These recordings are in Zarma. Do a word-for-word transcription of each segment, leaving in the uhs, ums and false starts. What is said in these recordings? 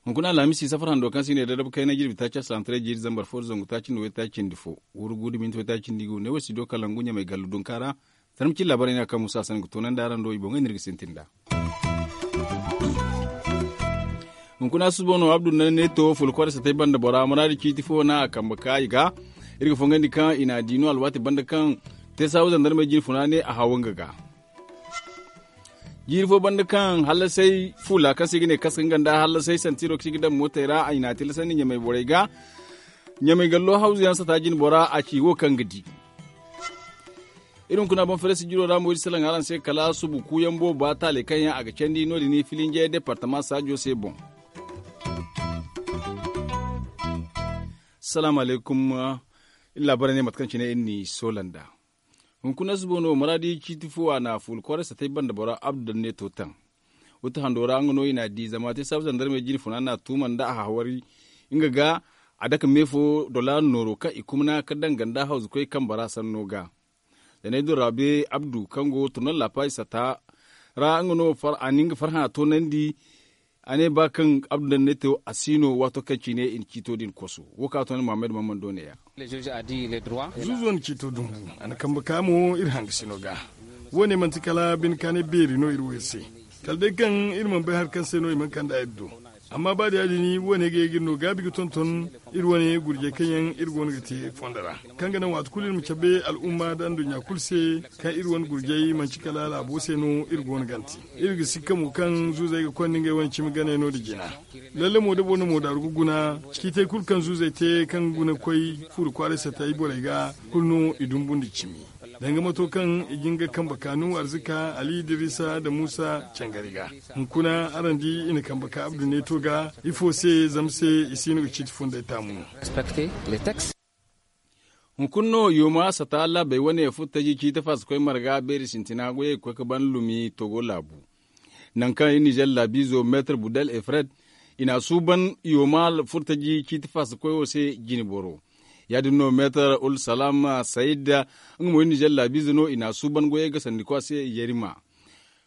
Hunkuna alhamisi safar hando kaŋ se i ne dadab kayna jirbi taaci asalantaray jiiri zambar fo da zangu taaci nda waytaaci nda fo, wurgu da minti waytaaci nda igu ne wo studio kalangu ɲamay gallu dunka ra. Tarmacin laabaray no ya kaŋ musa hasan ga toonandi araŋ do i boŋey no iri ga sintin nd'a. Hunkuna susubo no abdu nda ne to fulkor satay banda bora muraadi ciiti fo no a kambe ka i ga. Iri ga fongandi kaŋ i n'a di no alwaati banda kaŋ te saabu zandarmey jine funa ne a haw nga ga. Jiiri fo banda kaŋ hallasay fuula kaŋ se i ga ne kaska nga nda hallasay santiro kaŋ se i ga daŋ mootey ra i n'a tilasandi ɲamay borey ga. Ɲamay gallo hawzu yaŋ sata jine bora a ci wo kaŋ ga di. Iri hunkuna boŋ fere sijiro ra mo iri salaŋ araŋ se kala subu kuuyaŋ booba taaley kaŋ yaŋ a ga candi no- din filinjey departama saajo se boŋ. Salaamu alaykum. Iri laabaray ne mate kaŋ cine iri n'i soola nd'a. Hunkuna subo no muraadi ciiti fo a na fuula kwaray satay banda bora abdu daŋ ne to taŋ. Wuta hando ra nga no i n'a di zama te saabu zandarmey jine funa n'a tuuma nda a hawari nga ga. A dake me fo dola nooro kaŋ i kumna ka daŋ ganda hawzukoy kambe ra sanno ga. Zanay do rabe abdu kaŋ go turnal laapaasi sata ra nga no a na nga farhã toonandi. A ne ba kaŋ abdu daŋ ne to a si no waato kaŋ cine i na ciito din koso wo kaŋ a toonandi muhammad mammando ne ya. Zuuzo na ciito dumbu. A na kambe ka mo iri hangasino ga. Wo- ne manti kala bine kaanay beeri no iri wo iri se. Kala day kaŋ iri mana bay hari kaŋ se no i mana kand'a iri do. Amma ba da ya- din wo- ne ga ye ga iri no gaabi ga tonton iri wane gurjey kaŋ yaŋ iri go no ga te fondo ra, kaŋ ga naŋ waati kulu iri ma cabe al'umma nda anduɲɲa kulu se kaŋ iri wane gurjey manti kala laabo se no iri go no g'a te. Iri ga sikka mo kaŋ zuuzey ga konda ngey wane cimi ganey no- din jina. Lalle mo da boro na moodaaru ga guna, ciitey kulu kaŋ zuuzey te kaŋ ga guna ga koy fuuri kwaaray satay borey ga, kulu no i dumbu nda cimi. Danga mato kaŋ i ga nga kambe kaanu arzika ali idirisa nda muusa cangari ga. Hunkuna araŋ di i na kambe ka abdu neeto ga ifo se zama se i si no ga ciiti funday taamu no. Hunkuna no yooma sata laabey wane furtaji ciiti faasa koy marga beeri sintina goyey ga koy ga ban lumi togo laabu. Nangu kaŋ iri nizer laabiizo meetar budel efred i n'a suuban yooma furtaji ciiti faasa koy wo se jine boro. Ya- din no meetar ul salaam sayid, nga mo iri nizer laabiize no i n'a suuban goyey gasandikwa se yerima.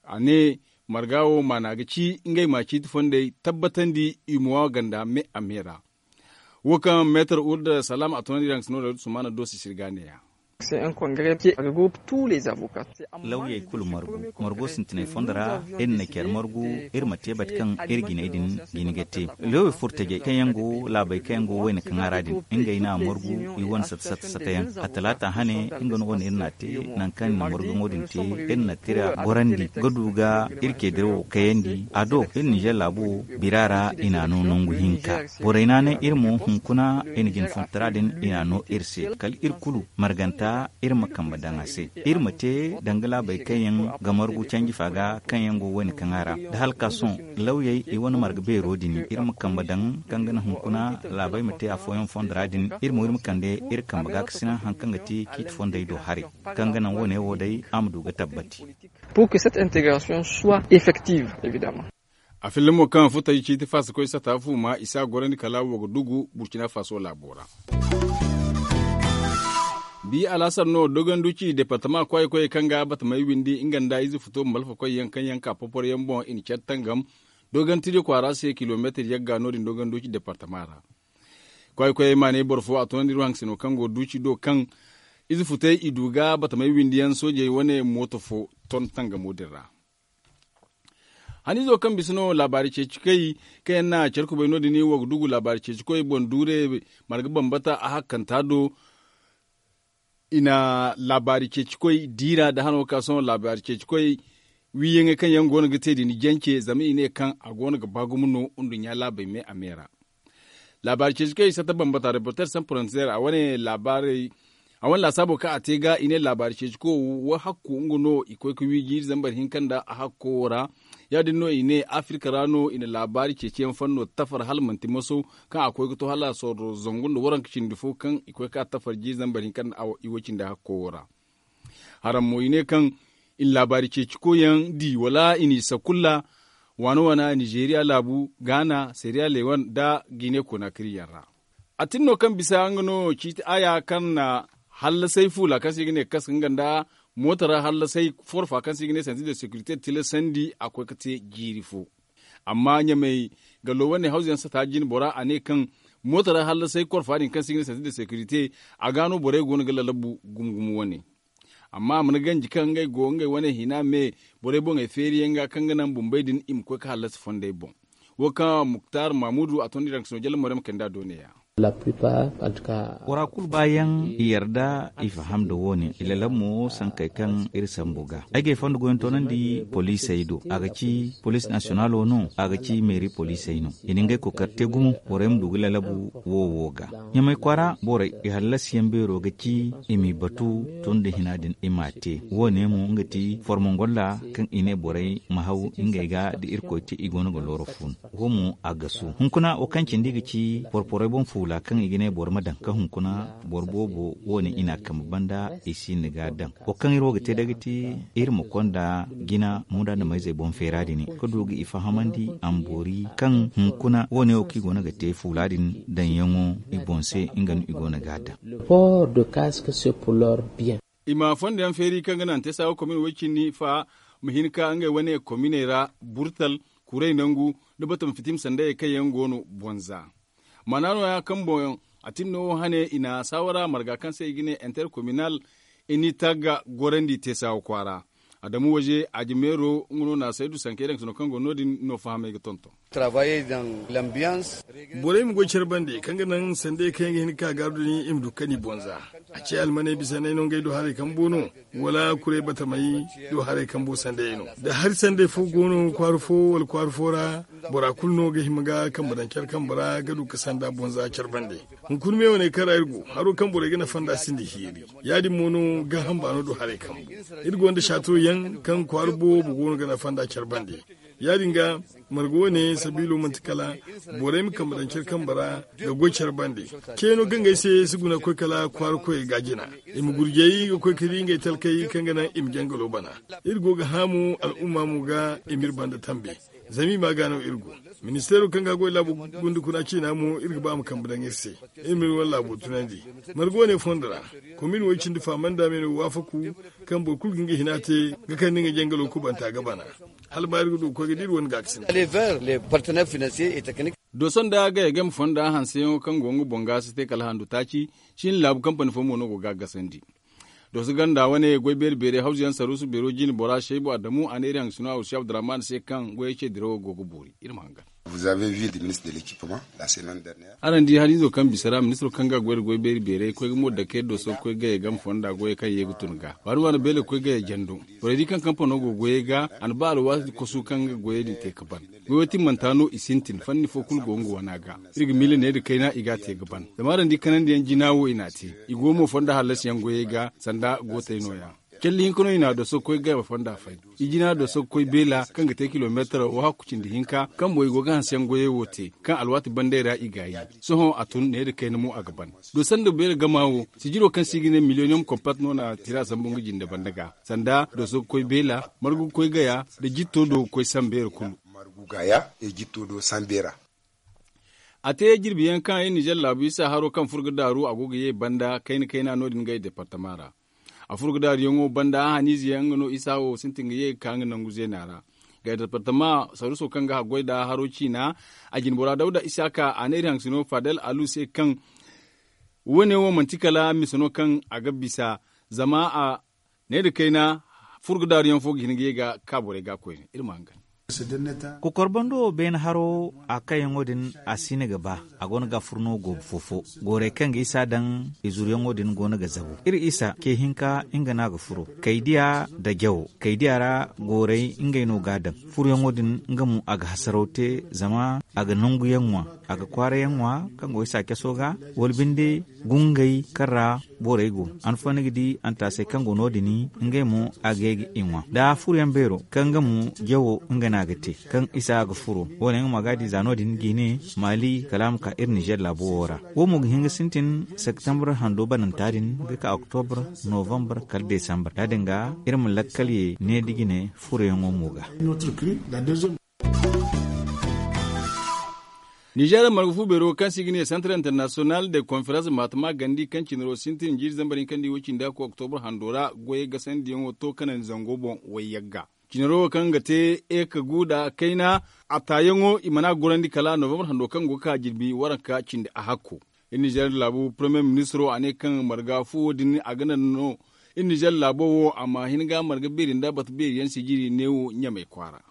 A ne marga wo maana ga ci ngey ma ciiti fondey tabbatandi i ma wa ganda me a me ra. Wo kaŋ meetar ul salaam a tunandi ra nga se no da sumaana doosi sirga ne- ya. Lawyey kulu margu margo sintinay fondo ra. Iri na care margu iri ma te bate kaŋ iri jinay din jine ga te. Lawyey furtajey kaŋ yaŋ go laabey kaŋ yaŋ go wayna kaŋ a ra din, ngey no a margu i wane sata sata sata yaŋ. A talaata hane nga no wane iri n'a te. Nangu kaŋ i na margaŋo din te iri na tira gorandi ga du ga iri ce dirawo kayandi a do. Iri nizer laabo bira ra i n'a no nangu hinka. Borey naanay iri mo hunkuna i na jine fontara din i n'a no iri se kala iri kulu marganta iri ma kambe daŋ a se. Iri ma te danga laabey kaŋ yaŋ ga margu canji fa ga kaŋ yaŋ go wayna kaŋ a ra da hala ka sohõ lawyey i wane marga beero din iri ma kambe daŋ kaŋ ga naŋ hunkuna laabey ma te afooyaŋ fondo ra din. Iri mo iri ma kande iri kambe gaakasina hari kaŋ ga te ciiti fondey do haray kaŋ ga naŋ wane wo day a ma du ga tabbati. Pour que cette intégration soit effective, évidemment. A filla mo kaŋ furtaji ciiti faasa koy sata fu ma i si a gorandi kala wo ga dugu burcina faso laabo ra. Bi alaasar no dogonduci departama kwaayey koyey kaŋ ga batamey windi nga nda ize futo malfa koyyaŋ kaŋ yaŋ ka poporyaŋ boŋ i na care tangam. Dogontiryo kwaara se kilomeetir yagga no- din dogonduci departama ra. Kwaayey koyey maanay boro fo a tunandi iri wo haŋ sino kaŋ go duci do kaŋ ize futey i du ga batamey windiyaŋ soojey wane mooto fo ton tangamo din ra. Haniizo kaŋ bisa no laabaari ceeci koy kaŋ yaŋ na care kubay no- din wo ga dugu laabaari ceeci koy boŋ duure marga bambata a hakkanta do. I na laabaari ceeci koy diira nda hano ka sohõ laabaari ceeci koy wiiyaŋey kaŋ yaŋ go no ga te din jance zama i ne kaŋ a go no ga ba gumo no nduɲɲa laabey me a me ra. Laabaari ceeci koy sata bambata reporter san frontier a wane laabaarey a wane laasaabo kaŋ a te ga i ne laabaari ceeci koy wo hakku nga no i koy ga wi jiiri zambar hinka nda a hakko wo ra. Ya- din no i ne afirka ra no i na laabaari ceeciyaŋ fanno tafar hala manti maso kaŋ a koy ga to hala sorro zangu nda waranka cindi fo kaŋ i koy ga ka tafar jiiri zambar hinka nda i wo cindi hakko wo ra. Haraŋ mo i ne kaŋ i na laabaari ceeci koyyaŋ di wala i n'i sakulla waana waana nizeeriya laabu gaana seeriya lewan nda gine konaakiriyaŋ ra. A tin no kaŋ bisa nga no ciiti aya kaŋ na hallasay fuula kaŋ se i ga ne kaska nga nda mooto ra hallasay forfa kaŋ se i ga ne santi de sekirite tilasandi a koy ga te jiiri fo. Amma ɲamay gallo wane hawzu yaŋ sata jine bora a ne kaŋ mooto ra hallasay korfa din kaŋ se i ga ne santi de sekirite a ga no borey go no ga lalabu gumo gumo wane. Amma a mana ganji kaŋ ngey go ngey wane hina me borey boŋey feeri yaŋ ga kaŋ ga naŋ bumbey din i ma koy ga hallasi fondey boŋ. Wo kaŋ muktar mamudu a tondi ranksino jalla morey ma kande a do ne ya. Bora kulu baayaŋ i yarda i faham nda wo- ne i lalabu mo sankey kaŋ iri sambu ga. Ay ga ay fondo goyyaŋ toonandi poliisey do a ga ci poliis nasiyonalo no, a ga ci meeri poliisey no. I na ngey kookari te gumo borey ma du ga lalabu wo wo ga. Ɲamay kwaara borey i hallasiyaŋ beero ga ci i m'i batu tun nda hina din i m'a te. Wo- ne mo nga ti formongolla kaŋ i ne borey ma haw ngey ga da irkoy te i go no ga looro fun. Wo mo a gasu hunkuna wo kaŋ cindi ga ci porporey boŋ fuula kaŋ i ga ne boro ma daŋ ka hunkuna boro boobo wo- ne i n'a kambe banda i si ni ga daŋ. Wo kaŋ iri wo ga te day ga ti iri ma konda jina munda nda mayzey boŋ feera din ka du ga i fahamandi a ma boori kaŋ hunkuna wo- ne wo kaŋ i go no ga te fuula din daŋyaŋo i boŋ se nga no i go no ga a daŋ. Port de casque c'est pour leur bien. I ma fondo yaŋ feeri kaŋ ga naŋ te saawa komin way cindi fa ma hin ka ngey wane kominey ra burtal kuray nangu nda batam fitim sandayey kaŋ yaŋ go no bonza. Maana no- ya kaŋ boŋ a tin no wo hane i na saawara marga kaŋ se i ga ne interkominal i ni tagga gorandi te saawa kwaara. Adamu waje ajimeero nga no na saydu sankey daŋ sino kaŋ go no- din no fahamey ga tonton. Borey ma goy care bande kaŋ ga naŋ sandey kaŋ yaŋ ga hin ga ka gaaru din i ma du kani bonza. A ce almaney bisa no ay no ngey do haray kambo no wala kuray batamey do haray kambo sandey no da hari sandey fo go no kwaara fo wala kwaara fo ra. Bora kulu no ga hima ga kambe daŋ care kambe ra ga du ga sanda bonza care bande. Hunkuna me wane kaŋ ra iri go haro kaŋ borey ga nafa nd'a sinda hiiri. Ya- din mo no gaaham baano do haray kambo. Iri gonda saato yaŋ kaŋ kwaara boobo go no ga nafa nd'a care bande. Ya- din ga marga wane sabiilo manti kala borey ma kambe daŋ care kambe ra ga goy care bande. Ceeno ga ngey se si guna ga koy kala kwaara koyey ga jina i ma gurjay ga koy ga di ngey talkey kaŋ ga naŋ i ma jangalo bana. Iri go ga haamu al'umma mo ga i m'iri banda tambe. Zama i ma ga no iri go. Ministeero kaŋ ga goy laabo gundukuna ciina mo iri ga ba a ma kambe daŋ iri se. Iri m'iri wane laabo tunandi. Marga wane fondo ra komin wo cindi fahamanda me no waafaku kaŋ boro kulu ga nga hina te ga kande nga jangalo kubanta ga bana. Hala ma iri ga du ga koy ga di iri wane gaakasinda. Doso nda gaya game fonda hanseyaŋo kaŋ go nga boŋ ga si te kala handu taaci. Cin laabu kampani fo mo no go ga a gasandi. Doso ganda wane goy beeri beeray hawzu yaŋ saruusu beero jine bora shaybu adamu a ne iri haŋ sino awusi abdurrahman se kaŋ goyey ce dirawo go ga boori. Iri ma hangan. Araŋ di hariizo kaŋ bisa ra ministiro kaŋ ga goy da goy beeri beeray koy ga mo dake doso ga koy gaya game fonda goyey kaŋ ye ga tun ga waani waani beele ga koy gaya jando. Borey di kaŋ kampano go goyey ga a na ba alwaati kosu kaŋ ga goyey din te ga ban. Goyo timmanta no i sintin fanni fo kulu go nga wana ga. Iri ga miila ne da kayna i ga a te ga ban zama araŋ di kanandiyaŋ jina wo i n'a te. I go mo fonda hallasiyaŋ goyey ga sanda gootey no- ya. Calli hinka no i n'a doso ga koy gaya fonda fay. I jina doso ga koy beela kaŋ ga te kilomeetaro wo hakku cindi hinka kaŋ boŋ i go ga hanseyaŋ goyey wo te kaŋ alwaati bandey ra i gaayi. Sohõ a tun ne da kayna mo a ga ban. Doso nda beela gama wo sijiro kaŋ se i ga ne miliyoniyom kompat no na tira sambu nga jinde banda ga sanda doso ga koy beela margu ga koy gaya nda jitto do ga koy sambeera kulu. A te jirbi yaŋ kaŋ ay nizer laabu isa haro kaŋ furo ga daaru a go ga ye banda kayna kayna no- din gay departama ra. A furo ga daaru yaŋo banda a haniize yaŋ nga no isa wo sintin ga ye ga ka nga nangu zeena ra. Gay departama saruuso kaŋ ga haggoy nda haro ciina a jinbora dawda isaka a ne iri haŋ sino fadel alu se kaŋ wo- ne wo manti kala misa no kaŋ a ga bisa. Zama a ne nda kayna furo ga daaru yaŋ fo ga hin ga ye ga ka borey ga koyne iri ma hangan. Kokor bando wo beene haro a kayyaŋo din a si ni ga ba. A go no ga furo no goobu fo fo. Goorey kaŋ ga isa daŋ i zuru yaŋo din go no ga zabu iri isa ce hinka nga no a ga furo. Kaydiya nda jawo kaydiya ra goorey ngey no ga a daŋ. Furo yaŋo din nga mo a ga hasaraw te zama a ga nangu yaŋ ŋwa. A ga kwaara yaŋ ŋwa kaŋ go isa caso ga wala binde gungey kaŋ ra borey go. Hanfo ni ga di antaasey kaŋ go no- din ngey mo a ga ye ga i ŋwa nda furo yaŋ beero kaŋ nga mo jawo nga no a ga te. Kaŋ isa ga furo wo- ne nga mo a ga a di za no- din ga i ne maali kala a ma ka iri nizer laabo wo ra. Wo mo ga hin ga sintin septembre hando bananta din ga ka oktobre novembre kala desambre ya- din ga iri ma lakkal ye ne da jine furo yaŋo mo ga. Ninzeer marga fu beero kaŋ se i ga ne santar internasiyonal de konferans maatama gandi kaŋ cinaro sintin jiiri zambar hinka nda i wo cindi hakko oktobur hando ra goyey gasandiyaŋo to kanandi zango boŋ wayyagga. Cinaro wo kaŋ ga te eka gu nda kayna a taayaŋo i mana gorandi kala novambar hando kaŋ go ga ka jirbi waranka cindi a hakko. Iri ninzeer laabu paremiye ministiro a ne kaŋ marga fu wo- din a ga naŋ no iri ninzeer laabo wo a ma hin ga marga beeri nda bata beeri yaŋ sijiri neewo ɲamey kwaara.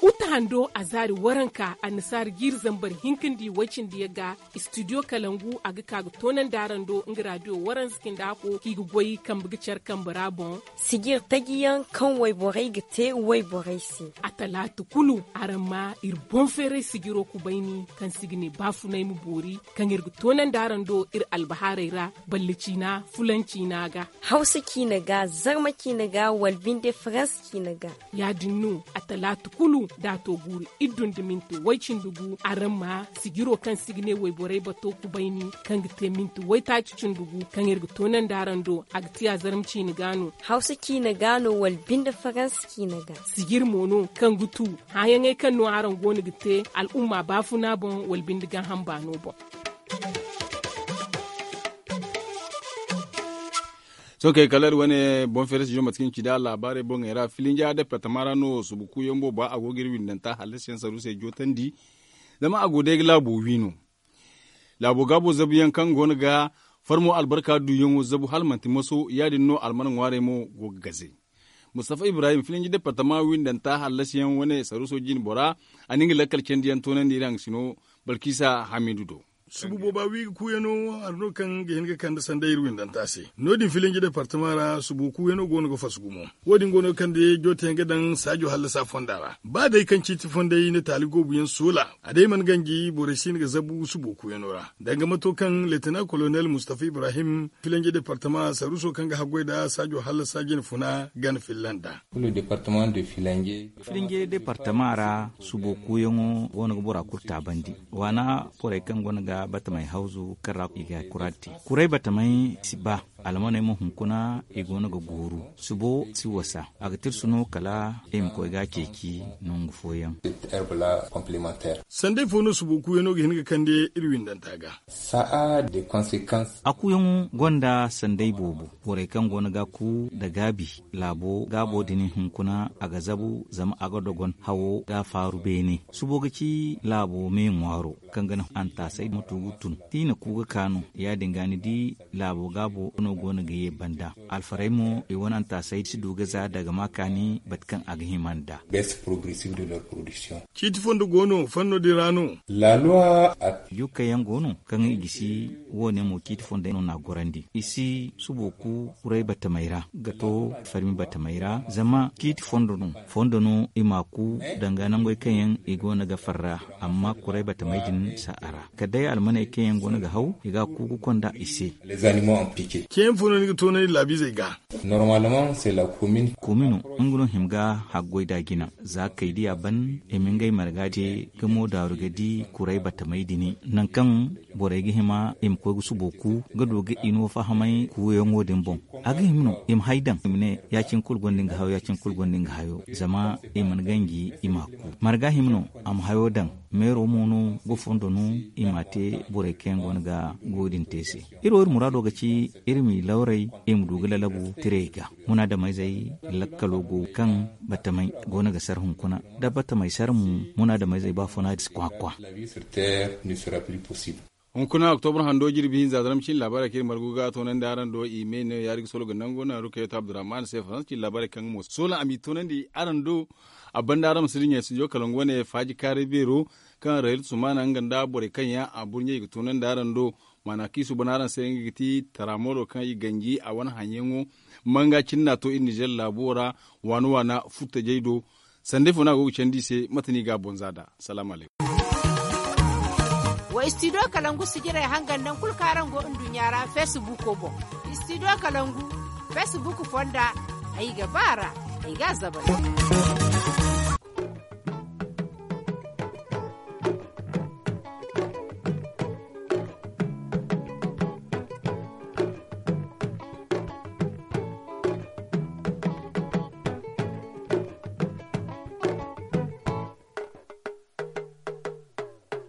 Uta hando a zaari waranka annasaara jiiri zambar hinka nda i way cindi yaŋ ga. Istidiyo kalangu a ga ka ga toonandi araŋ do nga raadiyo waranza cindi hakko kaŋ i ga goy kambe ga care kambe ra boŋ. Sijiri taji yaŋ kaŋ wayborey ga te wayborey se. A talaata kulu araŋ ma iri boŋ feeray sijiro kubayni kaŋ se i ga ne baafunay ma boori kaŋ iri ga toonandi araŋ do iri albahaarey ra, balle ciina fulan ciina ga, hawsa ciina ga, zarma ciina ga, wala binde farans ciina ga. Ya- din no a talaata kulu da a to guuru iddu nda minti way-cindi gu araŋ ma sijiro kaŋ se i ga ne wayborey bato kubayni kaŋ ga te minti waytaaci cindi gu kaŋ iri ga toonandi araŋ do a ga te a zarma ciina ga no. Hawsa ciina ga no wala binde farans ciina ga. Sijiri mo no kaŋ ga tu hããyaŋey kaŋ no araŋ go no ga te al'umma baafuna boŋ wala binde gaaham baano boŋ. Sohõ kay kala iri wane boŋ feere si jo mate kaŋ ci nda laabaarey boŋey ra filinja departama ra no subu kuuyaŋ booba a go ga iri windanta hallasiyaŋ saruusey jootandi. Zama a go day ga laabo wi no. Laabo gaabo zabuyaŋ kaŋ go no ga farmo albarka duuyaŋo zabu hala manti maso ya- din no alman ŋwaarey mo go ga gaze. Mustafa ibrahim filinji departama windanta hallasiyaŋ wane saruuso jine bora a na nga lakkal candiyaŋ toonandi iri haŋ ga sino balkisa hamidu do. Subu booba wi ga kuuyano hari no kaŋ ga hin ga kande sanday iri windanta se. No- din filinji departama ra subu kuuyano go no ga fasu gumo. Wo- din go no ga kande jooteyaŋ ga daŋ saajo hallasa fonda ra ba day kaŋ ciiti fonday na taali goobuyaŋ soola a day mana ganji borey si hin ga zabu subu kuuyano ra danga mato kaŋ leetana kolonel mustafa ibrahim filanji departama saruuso kaŋ ga haggoy nda saajo hallasa jine funa gana filla nd'a. Filinje departama ra subo kuuyaŋo go no ga bora kulu taabandi. Waana borey kaŋ go no ga batamey hawzu kaŋ ra i ga kuraati kuray batamey si ba. Almaney mo hunkuna i go no ga gooru subo si wasa a ga tirsu no kala i ma koy ga a ceeci nangu fooyaŋ. Sanday fo no subo kuuyaŋo ga hin ga kande iri windanta ga. A kuuyaŋo gonda sanday boobo. Borey kaŋ go no ga a ku nda gaabi laabo gaabo din hunkuna a ga zabu zama a ga dogon hawo ga a faaru beene. Subo ga ci laabo me ŋwaaro kaŋ ga naŋ antaasay ma tugu tun da i na ku ga ka no. Ya- din ga ni di laabo gaabo no go no ga ye banda alfarey mo i wane antaasay si du ga za daga ma kaani bate kaŋ a ga hima nd'a. Ciiti fondo go no fanno din ra no. Jukkey yaŋ go no kaŋ i gisi. Wo- ne mo ciiti fondo no n'a gorandi i si subo ku kuray batamey ra ga to farmi batamey ra zama ciiti fondo no. Fondo no i m'a ku danga nangey kaŋ yaŋ i go no ga farra amma kuray batamey din si a ra kala day almaney kaŋ yaŋ go no ga haw i ga a ku ga konda i se. Ceeyaŋ fo no ni ga toonandi laabiizey ga. Komino nga no hima ga haggoy da jina za kay diya ban i ma ngey marga te ga mo daaru ga di kuray batamey din nangu kaŋ borey ga hima i ma koy ga subo ku ga du ga i no fahamay kuuyaŋo din boŋ. A ga hima no i ma hay daŋ i ma ne ya- cine kulu gonda nga hayo ya- cine kulu gonda nga hayo zama i mana ganji i m'a ku. Marga hima no a ma hayo daŋ meero mo no ga fondo no i m'a te borey kaŋ yaŋ go no ga goyo din te se. Iri wo iri muraado ga ci iri m'i lawray i ma du ga lalabu tirey ga. Munaadameyzey lakkalo go kaŋ batamey go no ga sar hunkuna da batamey sar mo. Munaadameyzey ba funa di si kwa kwa. Hunkuna oktobur hando jirbi hinza zarma cine laabaarey kaŋ iri margu ga toonandi araŋ do i me ne yaari ga solo ga nango naŋ rukayatu abdurrahman se faransa cine laabaarey kaŋ mo soola a m'i toonandi araŋ do. A banda araŋ ma si dinya studio kalangu wane faaji kaaray beero kaŋ rayil sumana nga nda borey kaŋ yaŋ a burɲey ga toonandi araŋ do. Maana kaŋ i suuban araŋ se nga ga ti taramooro kaŋ i ganji a wane haŋyaŋo manga cine n'a to iri nizer laabo ra waana waana furtajey do. Sanday fo no a go ga candi i se mate no i ga a boŋ za nd'a. Salaamu alaykum. Wa istidiyo kalangu sijirey hangan nangu kulu kaŋ araŋ go nduɲɲa ra feesibuuko boŋ. Istidiyo kalangu feesibuuk fonda ay ga ba a ra ay ga a zabari.